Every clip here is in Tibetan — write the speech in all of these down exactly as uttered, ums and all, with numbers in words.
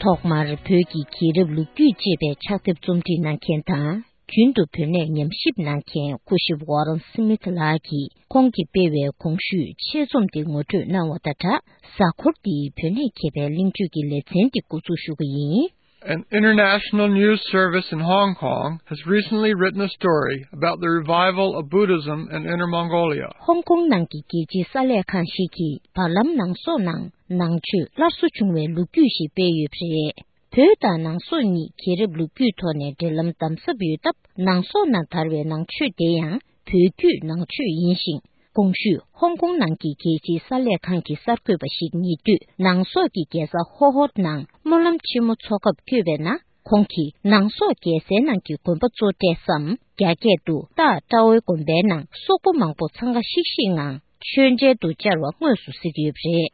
ཐོག་མར་བོད་ཀྱི་རྒྱལ་རབས་ལོ་རྒྱུས་ཅེས་པའི་ཕྱག་དེབ་རྩོམ་སྒྲིག་གནང་མཁན་དང་། རྒྱུན་དུ་བོད་གནས་ཉམས་ཞིབ་གནང་མཁན་སྐུ་ཞབས་ཝོ་རན་སི་མིད་ལགས་ཀྱིས་ཁོང་གིས་སྤེལ་བའི་གོང་ཞུས་ཆེད་རྩོམ་དེ་ངོ་སྤྲོད་གནང་བ་དང་སྦྲགས། གཟའ་འཁོར་འདིའི་བོད་གནས་མཁས་པའི་གླེང་བརྗོད་ཀྱི་ལེ་ཚན་འདི་འགོ་འཛུགས་ཞུ་གི་ཡིན། An international news service in Hong Kong has recently written a story about the revival of Buddhism in Inner Mongolia. ཧོང་ཀོང་ནང་གི་རྒྱལ་སྤྱིའི་གསར་ལས་ཁང་ཞིག་གིས་བར་ལམ་ནང་སོག་ནང་ནང་ཆོས་སླར་གསོ་བྱུང་བའི་ལོ་རྒྱུས་ཤིག་སྤེལ་ཡོད་པ་རེད། བོད་དང་ནང་སོག་གཉིས་རྒྱལ་རབས་ལོ་རྒྱུས་ཐོག་ནས་འབྲེལ་ལམ་དམ་ཟབ་ཡོད་སྟབས། ནང་སོག་ནང་དར་བའི་ནང་ཆོས་དེ་ཡང་བོད་བརྒྱུད་ནང་ཆོས་ཡིན་ཞིང་། གོང་ཞུས་ཧོང་ཀོང་ནང་གི་རྒྱལ་སྤྱིའི་གསར་ལས་ཁང་གི་གསར་འགོད་པ་ཞིག་ཉེ་དུས་ནང་སོག་གི་རྒྱལ་ས་ཧོ་ཧོད་ནང་སྨོན་ལམ་ཆེན་མོ་འཚོགས་སྐབས་བསྐྱོད་པའི་ནང་། ཁོང་གིས་ནང་སོག་རྒྱལ་སའི་ནང་གི་དགོན་པ་གཙོ་གྲས་སམ་རྒྱ་སྐད་དུ་ཏཱ་ཀྲའོ་དགོན་པའི་ནང་སོག་པོ་མང་པོ་འཚང་ཁ་ཤིག་ཤིག་ངང་མཆོད་མཇལ་དུ་བཅར་བ་དངོས་སུ་གཟིགས་ཡོད་པ་རེད།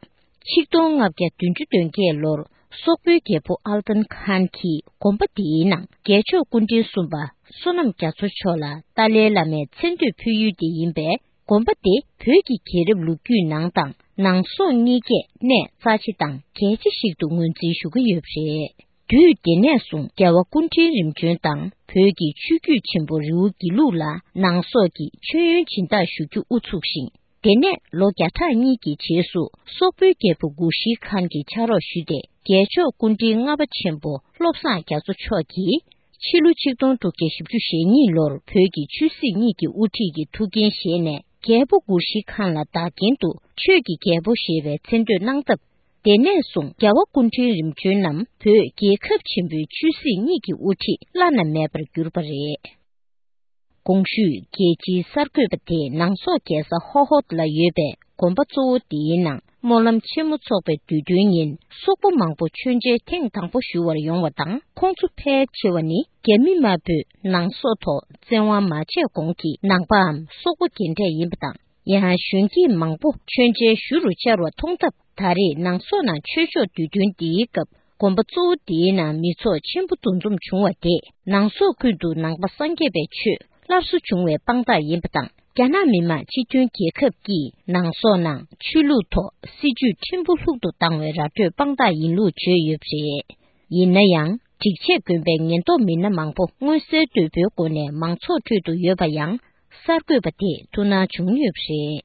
ཆིག་སྟོང་ལྔ་བརྒྱ་བདུན་ཅུ་དོན་བརྒྱད་ལོར་སོག་པོའི་རྒྱལ་པོ་ཨལ་ཏན་ཁཱན་གྱིས་དགོན་པ་དེའི་ནང་རྒྱལ་མཆོག་སྐུ་ཕྲེང་གསུམ་པ་བསོད་ནམས་རྒྱ་མཚོ་མཆོག་ལ་ཏཱ་ལའི་བླ་མའི་མཚན་བསྟོད་ཕུལ་ཡུལ་དེ་ཡིན་པས། དགོན་པ་དེ་བོད་ཀྱི་རྒྱལ་རབས་ལོ་རྒྱུས་ནང་དང་ནང་སོག་གཉིས་ཀས་གནས་རྩ་ཆེ་དང་གལ་ཆེ་ཞིག་ཏུ་ངོས་འཛིན་ཞུ་གི་ཡོད་པ་རེད། དུས་དེ་ནས་བཟུང་རྒྱལ་བ་སྐུ་ཕྲེང་རིམ་བྱོན་དང་བོད་ཀྱི་ཆོས་བརྒྱུད་ཆེན་པོ་རི་བོ་དགེ་ལུགས་ལ་ནང་སོག་གིས་མཆོད་ཡོན་སྦྱིན་བདག་ཞུ་རྒྱུ་དབུ་ཚུགས་ཤིང་། དེ་ནས་ལོ་བརྒྱ་ཕྲག་གཉིས་ཀྱི་རྗེས་སུ་སོག་པོའི་རྒྱལ་པོ་གུ་ཤྲི་ཁཱན་གྱི་ཕྱག་རོགས་ཞུས་ཏེ། རྒྱལ་མཆོག་སྐུ་ཕྲེང་ལྔ་པ་ཆེན་པོ་བློ་བཟང་རྒྱ་མཚོ་མཆོག་གིས་ཕྱི་ལོ་ཆིག་སྟོང་དྲུག་བརྒྱ་བཞི་བཅུ་ཞེ་གཉིས་ལོར་བོད་ཀྱི་ཆོས་སྲིད་གཉིས་ཀྱི་དབུ་ཁྲིད་ཀྱི་ཐུགས་འགན་བཞེས་ནས། རྒྱལ་པོ་གུ་ཤྲི་ཁཱན་ལ་བདག་རྐྱེན་དུ་ཆོས་ཀྱི་རྒྱལ་པོ་ཞེས་པའི་མཚན་བསྟོད་གནང་སྟབས། དེ་ནས་བཟུང་རྒྱལ་བ་སྐུ་ཕྲེང་རིམ་བྱོན་རྣམས་བོད་རྒྱལ་ཁབ་ཆེན་པོའི་ཆོས་སྲིད་གཉིས་ཀྱི་དབུ་ཁྲིད་བླ་ན་མེད་པར་གྱུར་པ་རེད། གོང་ཞུས་རྒྱལ་སྤྱིའི་གསར་འགོད་པ་དེས་ནང་སོག་རྒྱལ་ས་ཧོ་ཧོད་ལ་ཡོད་པའི་དགོན་པ་གཙོ་བོ་དེའི་ནང་སྨོན་ལམ་ཆེན་མོ་འཚོགས་པའི་དུས་སྟོན་ཉིན། སོག་པོ་མང་པོ་མཆོད་མཇལ་ཐེངས་དང་པོ་ཞུ་བར་ཡོང་བ་དང་། ཁོང་ཚོ་ཕལ་ཆེ་བ་ནི་རྒྱ་མི་དམར་པོས་ནང་སོག་ཐོག་བཙན་དབང་མ་བྱས་གོང་གི་ནང་པའམ་སོག་པོ་རྒན་གྲས་ཡིན་པ་དང་། ཡང་གཞོན་སྐྱེས་མང་པོ་མཆོད་མཇལ་ཞུ་རུ་བཅར་བ་མཐོང་སྟབས། ད་རེས་ནང་སོག་ནང་ཆོས་ཕྱོགས་དུས་སྟོན་འདིའི་སྐབས། དགོན་པ་གཙོ་བོ་འདིའི་ནང་མི་ཚོགས་ཆེན་པོ་འདུ་འཛོམས་བྱུང་བ་དེས། ནང་སོག་ཁུལ་དུ་ནང་པ་སངས་རྒྱས་པའི་ཆོས་སླར་གསོ་བྱུང་བའི་དཔང་རྟགས་ཡིན་པ་དང་། རྒྱ་ནག་མི་དམངས་སྤྱི་མཐུན་རྒྱལ་ཁབ་ཀྱིས་ནང་སོག་ནང་ཆོས་ལུགས་ཐོག་སྲིད་ཇུས་ཕྲན་བུ་ལྷུག་ཏུ་བཏང་བའི་ར་སྤྲོད་དཔང་རྟགས་ཡིན་ལུགས་བརྗོད་ཡོད་པ་རེད། ཡིན་ན་ཡང་། སྒྲིག་ཆས་གོན་པའི་ཉེན་རྟོག་མི་སྣ་མང་པོ་མངོན་གསལ་དོད་པོའི་སྒོ་ནས་མང་ཚོགས་ཁྲོད་དུ་ཡོད་པ་ཡང་། གསར་འགོད་པ་དེས་ཐུགས་སྣང་བྱུང་ཡོད་པ་རེད།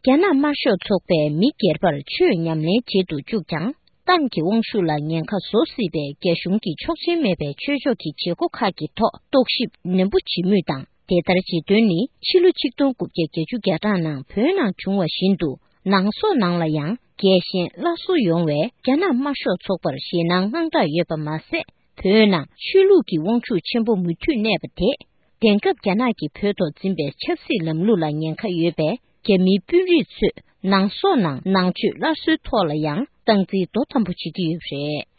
རྒྱ་ནག་དམར་ཤོག་ཚོགས་པས་མི་སྒེར་པར་ཆོས་ཉམས་ལེན་བྱེད་དུ་བཅུག་ཀྱང་། ཏང་གི་དབང་ཤུགས་ལ་ཉེན་ཁ་བཟོ་སྲིད་པའི་རྒྱ་གཞུང་གི་ཆོག་མཆན་མེད་པའི་ཆོས་ཕྱོགས་ཀྱི་བྱེད་སྒོ་ཁག་གི་ཐོག་རྟོག་ཞིབ་ནན་པོ་བྱེད་མུས་དང་། དེ་ལྟར་བྱེད་དོན་ནི། ཕྱི་ལོ་ཆིག་སྟོང་དགུ་བརྒྱ་བརྒྱད་ཅུ་གྱ་གྲངས་ནང་བོད་ནང་བྱུང་བ་བཞིན་དུ། ནང་སོག་ནང་ལ་ཡང་རྒྱལ་ཞེན་སླར་གསོ་ཡོང་བའི་རྒྱ་ནག་དམར་ཤོག་ཚོགས་པར་ཞེད་སྣང་དངངས་སྐྲག་ཡོད་པ་མ་ཟད། བོད་ནང་ཆོས་ལུགས་ཀྱི་དབང་ཤུགས་ཆེན་པོ་མུ་མཐུད་གནས་པ་དེས། དེང་སྐབས་རྒྱ་ནག་གིས་བོད་ཐོག་འཛིན་པའི་ཆབ་སྲིད་ལམ་ལུགས་ལ་ཉེན་ཁ་ཡོད་པས། རྒྱ་མིའི་དཔོན་རིགས་ཚོས་ནང་སོག་ནང་ནང་ཆོས་སླར་གསོའི་ཐོག་ལ་ཡང་སྟངས་འཛིན་དོ་དམ་པོ་བྱེད་ཀྱི་ཡོད་པ་རེད།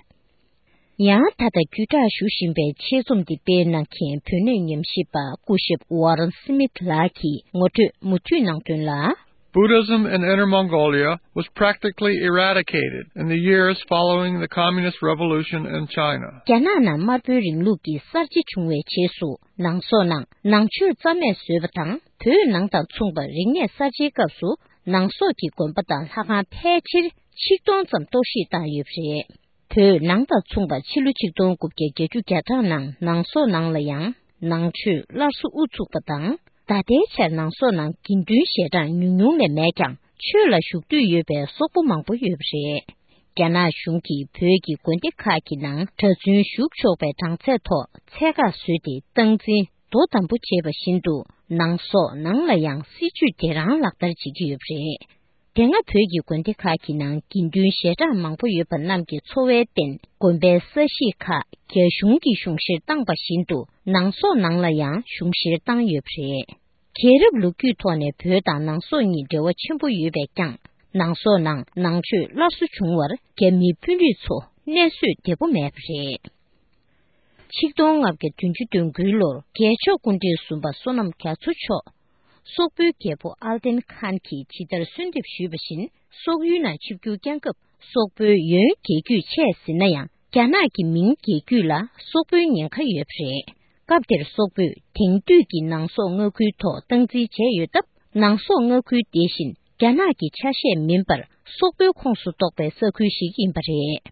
ཡང་ད་ལྟ་བརྒྱུད་བསྒྲགས་ཞུ་བཞིན་པའི་ཆེད་རྩོམ་འདི་སྤེལ་གནང་མཁན་བོད་གནས་ཉམས་ཞིབ་པ་སྐུ་ཞབས་ཝོ་རན་སི་མིད་ལགས་ཀྱིས་ངོ་སྤྲོད་མུ་མཐུད་གནང་དོན་ལ། Buddhism in Inner Mongolia was practically eradicated in the years following the Communist Revolution in China. རྒྱ་ནག་ནང་དམར་པོའི་རིང་ལུགས་ཀྱི་གསར་བརྗེ་བྱུང་བའི་རྗེས་སུ། ནང་སོག་ནང་ནང་ཆོས་རྩ་མེད་བཟོས་པ་དང་། བོད་ནང་དང་མཚུངས་པར་རིག་གནས་གསར་བརྗེའི་སྐབས་སུ། ནང་སོག་གི་དགོན་པ་དང་ལྷ་ཁང་ཕལ་ཆེར་ཆིག་སྟོང་ཙམ་གཏོར་བཤིག་བཏང་ཡོད་པ་རེད། བོད་ནང་དང་མཚུངས་པར་ཕྱི་ལོ་ཆིག་སྟོང་དགུ་བརྒྱ་བརྒྱད་ཅུ་གྱ་གྲངས་ནང་ནང་སོག་ནང་ལ་ཡང་ནང་ཆོས་སླར་གསོ་དབུ་ཚུགས་པ་དང་། ད་ལྟའི་ཆར་ནང་སོག་ནང་དགེ་འདུན་ཞལ་གྲངས་ཉུང་ཉུང་ལས་མེད་ཀྱང་ཆོས་ལ་ཞུགས་འདོད་ཡོད་པའི་སོག་པོ་མང་པོ་ཡོད་པ་རེད། རྒྱ་ནག་གཞུང་གིས་བོད་ཀྱི་དགོན་སྡེ་ཁག་གི་ནང་གྲྭ་བཙུན་ཞུགས་ཆོག་པའི་གྲངས་ཚད་ཐོག་ཚད་བཀག་བཟོས་ཏེ་སྟངས་འཛིན་དོ་དམ་པོ་བྱས་པ་བཞིན་དུ། ནང་སོག་ནང་ལ་ཡང་སྲིད་ཇུས་དེ་རང་ལག་བསྟར་བྱེད་ཀྱི་ཡོད་པ་རེད། དེ་སྔ་བོད་ཀྱི་དགོན་སྡེ་ཁག་གི་ནང་དགེ་འདུན་ཞལ་གྲངས་མང་པོ་ཡོད་པ་རྣམས་ཀྱི་འཚོ་བའི་རྟེན་དགོན་པའི་ས་གཞིས་ཁག་རྒྱ་གཞུང་གིས་གཞུང་བཞེས་བཏང་པ་བཞིན་དུ། ནང་སོག་ནང་ལ་ཡང་གཞུང་བཞེས་བཏང་ཡོད་པ་རེད། རྒྱལ་རབས་ལོ་རྒྱུས་ཐོག་ནས་བོད་དང་ནང་སོག་གཉིས་འབྲེལ་བ་ཆེན་པོ་ཡོད་པས་ཀྱང་། ནང་སོག་ནང་ནང་ཆོས་སླར་གསོ་བྱུང་བར་རྒྱ་མིའི་དཔོན་རིགས་ཚོ་གནས་བཟོད་བདེ་པོ་མེད་པ་རེད། ཆིག་སྟོང་ལྔ་བརྒྱ་བདུན་ཅུ་དོན་དགུའི་ལོར་རྒྱལ་མཆོག་སྐུ་ཕྲེང་གསུམ་པ་བསོད་ནམས་རྒྱ་མཚོ་མཆོག་སོག་པོའི་རྒྱལ་པོ་ཨལ་ཏན་ཁཱན་གྱིས་ཇི་ལྟར་གསོལ་འདེབས་ཞུས་པ་བཞིན། སོག་ཡུལ་ནང་ཆིབས་བསྒྱུར་བསྐྱངས་སྐབས། སོག་པོའི་ཡོན་རྒྱལ་རྒྱུད་ཆད་ཟིན་ན་ཡང་། རྒྱ་ནག་གི་མིང་རྒྱལ་རྒྱུད་ལ་སོག་པོའི་ཉེན་ཁ་ཡོད་པ་རེད། སྐབས་དེར་སོག་པོས་དེང་དུས་ཀྱི་ནང་སོག་མངའ་ཁུལ་ཐོག་སྟངས་འཛིན་བྱས་ཡོད་སྟབས། ནང་སོག་མངའ་ཁུལ་དེ་བཞིན་རྒྱ་ནག་གི་ཆ་ཤས་མིན་པར། སོག་པོའི་ཁོངས་སུ་གཏོགས་པའི་ས་ཁུལ་ཞིག་ཡིན་པ་རེད།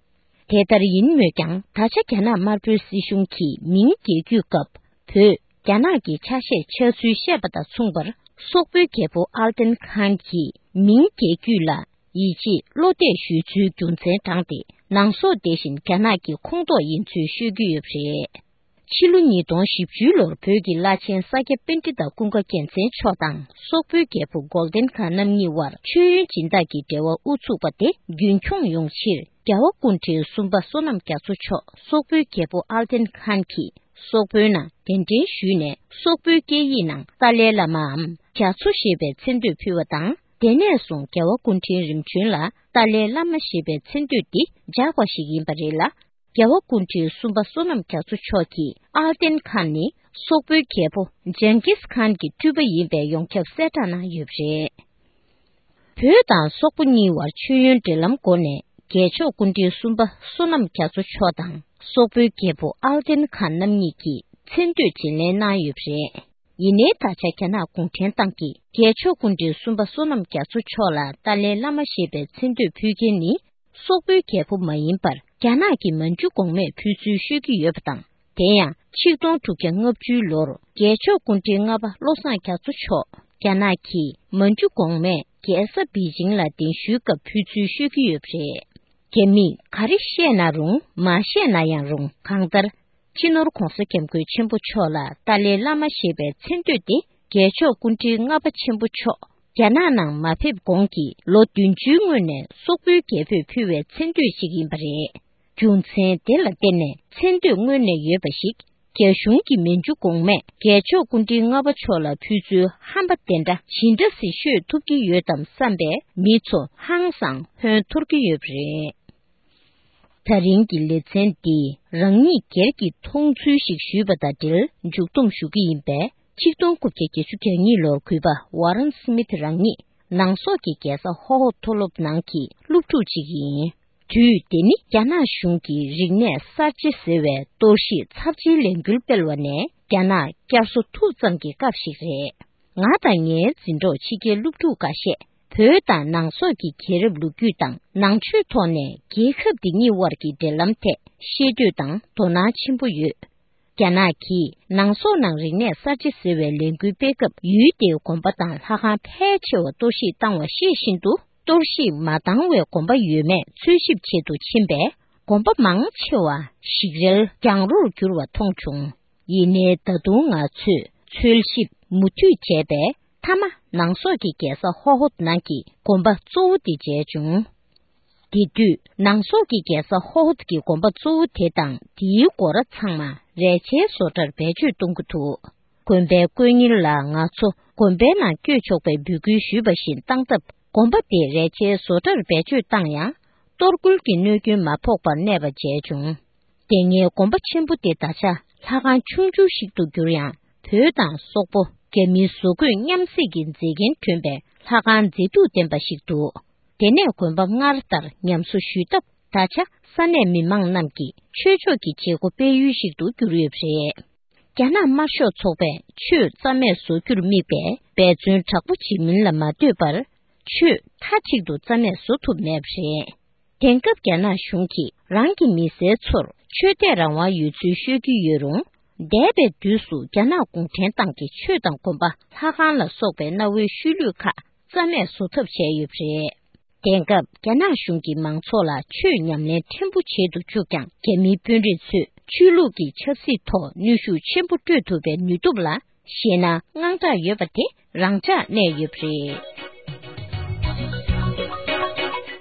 དེ་ལྟར་ཡིན་མོད་ཀྱང་། ད་ཆ་རྒྱ་ནག་དམར་པོའི་སྲིད་གཞུང་གིས་མིང་རྒྱལ་རྒྱུད་སྐབས་བོད་རྒྱ་ནག་གི་ཆ་ཤས་ཆགས་ཚུལ་བཤད་པ་དང་མཚུངས་པར། སོག་པོའི་རྒྱལ་པོ་ཨལ་ཏན་ཁཱན་གྱིས་མིང་རྒྱལ་རྒྱུད་ལ་ཡིད་ཆེས་བློ་གཏད་ཞུས་ཚུལ་རྒྱུ་མཚན་དྲངས་ཏེ། ནང་སོག་དེ་བཞིན་རྒྱ་ནག་གི་ཁོངས་གཏོགས་ཡིན་ཚུལ་ཤོད་ཀྱི་ཡོད་པ་རེད། ཕྱི་ལོ་ཉིས་སྟོང་བཞི་བཅུ་ལོར་བོད་ཀྱི་བླ་ཆེན་ས་སྐྱ་པཎྜི་ཏ་ཀུན་དགའ་རྒྱལ་མཚན་མཆོག་དང་སོག་པོའི་རྒྱལ་པོ་གོལ་ཌེན་ཁཱན་རྣམ་གཉིས་དབར་མཆོད་ཡོན་སྦྱིན་བདག་གི་འབྲེལ་བ་དབུ་ཚུགས་པ་དེ་རྒྱུན་འཁྱོངས་ཡོང་ཕྱིར། རྒྱལ་བ་སྐུ་ཕྲེང་གསུམ་པ་བསོད་ནམས་རྒྱ་མཚོ་མཆོག་སོག་པོའི་རྒྱལ་པོ་ཨལ་ཏན་ཁཱན་གྱིས་སོག་པོའི་ནང་གདན་འདྲེན་ཞུས་ནས། སོག་པོའི་སྐད་ཡིག་ནང་ཏཱ་ལའི་བླ་མའམ་རྒྱ་མཚོ་ཞེས་པའི་མཚན་བསྟོད་ཕུལ་བ་དང་། དེ་ནས་བཟུང་རྒྱལ་བ་སྐུ་ཕྲེང་རིམ་བྱོན་ལ་ཏཱ་ལའི་བླ་མ་ཞེས་པའི་མཚན་བསྟོད་འདི་འཇགས་པ་ཞིག་ཡིན་པ་རེད་ལ། རྒྱལ་བ་སྐུ་ཕྲེང་གསུམ་པ་བསོད་ནམས་རྒྱ་མཚོ་མཆོག་གིས་ཨལ་ཏན་ཁཱན་ནི་སོག་པོའི་རྒྱལ་པོ་ཇང་གིས་ཁཱན་གྱི་སྤྲུལ་པ་ཡིན་པའི་ཡོངས་ཁྱབ་གསལ་བསྒྲགས་གནང་ཡོད་པ་རེད། བོད་དང་སོག་པོ་གཉིས་བར་མཆོད་ཡོན་འབྲེལ་ལམ་སྒོ་ནས། རྒྱལ་མཆོག་སྐུ་ཕྲེང་གསུམ་པ་བསོད་ནམས་རྒྱ་མཚོ་མཆོག་དང་སོག་པོའི་རྒྱལ་པོ་ཨལ་ཏན་ཁཱན་རྣམ་གཉིས་ཀྱིས་མཚན་བསྟོད་བརྗེ་ལེན་གནང་ཡོད་པ་རེད། ཡིན་ནའི་ད་ཆ་རྒྱ་ནག་གུང་ཁྲན་ཏང་གིས་རྒྱལ་མཆོག་སྐུ་ཕྲེང་གསུམ་པ་བསོད་ནམས་རྒྱ་མཚོ་མཆོག་ལ་ཏཱ་ལའི་བླ་མ་ཞེས་པའི་མཚན་བསྟོད་ཕུལ་མཁན་ནི། སོག་པོའི་རྒྱལ་པོ་མ་ཡིན་པར། རྒྱ་ནག་གི་མན་ཇུ་གོང་མས་ཕུལ་ཚུལ་ཤོད་ཀྱི་ཡོད་པ་དང་། དེ་ཡང་ཆིག་སྟོང་དྲུག་བརྒྱ་ལྔ་བཅུའི་ལོར་རྒྱལ་མཆོག་སྐུ་ཕྲེང་ལྔ་པ་བློ་བཟང་རྒྱ་མཚོ་མཆོག་རྒྱ་ནག་གི་མན་ཇུ་གོང་མས་རྒྱལ་ས་པེ་ཅིང་ལ་གདན་ཞུའི་སྐབས་ཕུལ་ཚུལ་ཤོད་ཀྱི་ཡོད་པ་རེད། རྒྱ་མིས་ག་རེ་བཤད་ན་རུང་། མ་བཤད་ན་ཡང་རུང་། གང་ལྟར། སྤྱི་ནོར་༧གོང་ས་༧སྐྱབས་མགོན་ཆེན་པོ་མཆོག་ལ་ཏཱ་ལའི་བླ་མ་ཞེས་པའི་མཚན་བསྟོད་དེ། རྒྱལ་མཆོག་སྐུ་ཕྲེང་ལྔ་པ་ཆེན་པོ་མཆོག་རྒྱ་ནག་ནང་མ་ཕེབས་གོང་གི་ལོ་བདུན་ཅུའི་སྔོན་ནས་སོག་པོའི་རྒྱལ་པོས་ཕུལ་བའི་མཚན་བསྟོད་ཅིག་ཡིན་པ་རེད། རྒྱུ་མཚན་དེ་ལ་བརྟེན་ནས་མཚན་བསྟོད་སྔོན་ནས་ཡོད་པ་ཞིག་རྒྱ་གཞུང་གི་མན་ཇུ་གོང་མས་རྒྱལ་མཆོག་སྐུ་ཕྲེང་ལྔ་པ་མཆོག་ལ་ཕུལ་ཚུལ་ཧམ་པ་དེ་འདྲ་ཇི་འདྲ་སེ་ཤོད་ཐུབ་ཀྱི་ཡོད་དམ་བསམ་པའི་མི་ཚོ་ཧང་སང་ཧོན་འཐོར་གྱི་ཡོད་པ་རེད། ད་རིང་གི་ལེ་ཚན་འདི་རང་ཉིད་སྒེར་གྱི་མཐོང་ཚུལ་ཞིག་ཞུས་པ་དང་འབྲེལ་མཇུག་བསྡོམས་ཞུ་གི་ཡིན་པས། ཆིག་སྟོང་དགུ་བརྒྱ་བརྒྱད་ཅུ་གྱ་གཉིས་ལོར་གུས་པ་ཝ་རན་སི་མིད་རང་ཉིད་ནང་སོག་གི་རྒྱལ་ས་ཧོ་ཧོ་མཐོ་སློབ་ནང་གི་སློབ་ཕྲུག་ཅིག་ཡིན། དུས་དེ་ནི་རྒྱ་ནག་གཞུང་གིས་རིག་གནས་གསར་བརྗེ་ཟེར་བའི་གཏོར་བཤིག་ཚབས་ཆེའི་ལས་འགུལ་སྤེལ་བ་ནས། རྒྱ་ནག་བསྐྱར་གསོ་ཐུབ་ཙམ་གྱི་སྐབས་ཤིག་རེད། ང་དང་ངའི་འཛིན་གྲོགས་ཕྱི་རྒྱལ་སློབ་ཕྲུག་འགའ་ཤས་བོད་དང་ནང་སོག་གི་རྒྱལ་རབས་ལོ་རྒྱུས་དང་ནང་ཆོས་ཐོག་ནས་རྒྱལ་ཁབ་འདི་གཉིས་དབར་གྱི་འབྲེལ་ལམ་ཐད་ཤེས་འདོད་དང་དོ་སྣང་ཆེན་པོ་ཡོད། རྒྱ་ནག་གིས་ནང་སོག་ནང་རིག་གནས་གསར་བརྗེ་ཟེར་བའི་ལས་འགུལ་སྤེལ་སྐབས། ཡུལ་དེའི་དགོན་པ་དང་ལྷ་ཁང་ཕལ་ཆེ་བ་གཏོར་བཤིག་བཏང་བ་ཤེས་བཞིན་དུ། གཏོར་བཤིག་མ་བཏང་བའི་དགོན་པ་ཡོད་མེད་འཚོལ་ཞིབ་བྱེད་དུ་ཕྱིན་པས། དགོན་པ་མང་ཆེ་བ་ཞིག་རལ་གྱང་རོར་གྱུར་བ་མཐོང་བྱུང་། ཡིན་ནའི་ད་དུང་ང་ཚོས་འཚོལ་ཞིབ་མུ་མཐུད་བྱས་པས། མཐའ་མ་ནང་སོག་གི་རྒྱལ་ས་ཧོ་ཧོད་ནང་གི་དགོན་པ་གཙོ་བོ་དེ་མཇལ་བྱུང་། དེ་དུས་ནང་སོག་གི་རྒྱལ་ས་ཧོ་ཧོད་ཀྱི་དགོན་པ་གཙོ་བོ་དེ་དང་དེའི་སྒོ་ར་ཚང་མ་རས་ཆའི་བཟོ་གྲྭར་བེད་སྤྱོད་གཏོང་གི་འདུག་དགོན་པའི་དཀོན་གཉེར་ལ་ང་ཚོ་དགོན་པའི་ནང་བསྐྱོད་ཆོག་པའི་འབོད་སྐུལ་ཞུས་པ་བཞིན་བཏང་སྟབས། དགོན་པ་དེ་རས་ཆའི་བཟོ་གྲྭར་བེད་སྤྱོད་བཏང་ཡང་། གཏོར་རྒོལ་གྱི་གནོད་སྐྱོན་མ་ཕོག་པར་གནས་པ་མཇལ་བྱུང་། དེ་སྔའི་དགོན་པ་ཆེན་པོ་དེ་ད་ཆ་ལྷ་ཁང་ཆུང་ཆུང་ཞིག་ཏུ་གྱུར་ཡང་། བོད་དང་སོག་པོ་རྒྱ་མིའི་བཟོ་བཀོད་མཉམ་བསྲེས་ཀྱི་མཛེས་རྒྱན་ལྡན་པའི་ལྷ་ཁང་མཛེས་སྡུག་ལྡན་པ་ཞིག་འདུག་དེ་ནས་དགོན་པ་སྔར་ལྟར་ཉམས་གསོ་ཞུས་སྟབས། ད་ཆ་ས་གནས་མི་མང་རྣམས་ཀྱིས་ཆོས་ཕྱོགས་ཀྱི་བྱེད་སྒོ་སྤེལ་ཡུལ་ཞིག་ཏུ་གྱུར་ཡོད་པ་རེད། རྒྱ་ནག་དམར་ཤོག་ཚོགས་པས་ཆོས་རྩ་མེད་བཟོ་རྒྱུར་དམིགས་པའི་འབད་བརྩོན་དྲག་པོ་བྱེད་མིན་ལ་མ་ལྟོས་པར། ཆོས་མཐའ་གཅིག་ཏུ་རྩ་མེད་བཟོ་ཐུབ་མེད་པ་རེད། དེང་སྐབས་རྒྱ་ནག་གཞུང་གིས་རང་གི་མི་སེར་ཚོར་ཆོས་དད་རང་དབང་ཡོད་ཚུལ་ཤོད་ཀྱི་ཡོད་རུང་། འདས་པའི་དུས་སུ་རྒྱ་ནག་གུང་ཁྲན་ཏང་གིས་ཆོས་དང་དགོན་པ། ལྷ་ཁང་ལ་སོགས་པའི་གནའ་བོའི་ཤུལ་ལུས་ཁག་རྩ་མེད་བཟོ་ཐབས་བྱས་ཡོད་པ་རེད། དེང་སྐབས་རྒྱ་ནག་གཞུང་གིས་མང་ཚོགས་ལ་ཆོས་ཉམས་ལེན་ཕྲན་བུ་བྱེད་དུ་བཅུག་ཀྱང་། རྒྱ་མིའི་དཔོན་རིགས་ཚོས་ཆོས་ལུགས་ཀྱི་ཆབ་སྲིད་ཐོག་ནུས་ཤུགས་ཆེན་པོ་སྤྲོད་ཐུབ་པའི་ནུས་སྟོབས་ལ་ཞེད་སྣང་དངངས་སྐྲག་ཡོད་པ་དེ་རང་འཇགས་གནས་ཡོད་པ་རེད།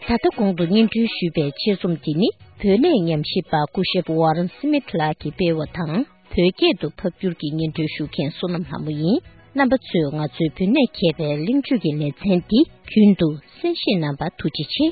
ད་ལྟ་གོང་དུ་སྙན་སྒྲོན་ཞུས་པའི་ཆེད་རྩོམ་འདི་ནི། བོད་གནས་ཉམས་ཞིབ་པ་སྐུ་ཞབས་ཝ་རན་སི་མིད་ལགས་ཀྱིས་སྤེལ་བ་དང་། བོད་སྐད་དུ་ཕབ་བསྒྱུར་གྱིས་སྙན་སྒྲོན་ཞུ་མཁན་བསོད་ནམས་ལྷ་མོ་ཡིན། རྣམ་པ་ཚོས་ང་ཚོའི་བོད་གནས་མཁས་པའི་གླེང་བརྗོད་ཀྱི་ལེ་ཚན་འདི་རྒྱུན་དུ་གསན་བཞེས་གནང་བར་ཐུགས་རྗེ་ཆེ།